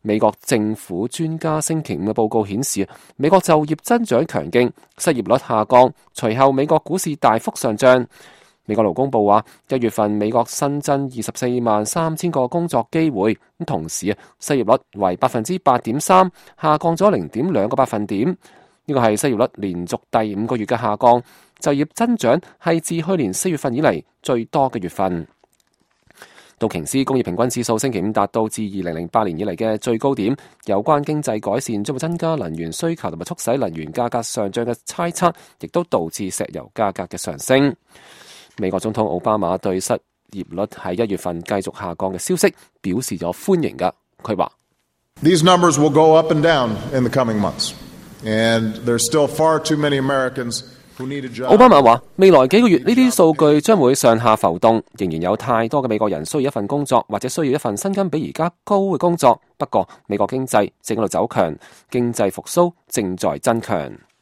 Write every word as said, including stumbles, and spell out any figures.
美國政府專家星期五嘅報告顯示，美國就業增長強勁，失業率下降，隨後美國股市大幅上漲。美國勞工部話，一月份美國新增二十四萬三千個工作機會，同時啊，失業率為百分之八點三，下降咗零點兩個百分點。呢個係失業率連續第五個月嘅下降，就業增長係自去年四月份以嚟最多嘅月份。道瓊斯工業平均指數星期五達到自二零零八年以嚟嘅最高點，有關經濟改善將會增加能源需求同埋促使能源價格上漲嘅猜測，亦都導致石油價格嘅上升。美國總統奧巴馬對失業率喺一月份繼續下降嘅消息表示咗歡迎㗎。佢話：These numbers will go up and down in the coming months, and there's still far too many Americans。奧巴馬話：未來幾個月呢啲數據將會上下浮動，仍然有太多嘅美國人需要一份工作，或者需要一份薪金比而家高嘅工作。不過，美國經濟正喺度走強，經濟復甦正在增強。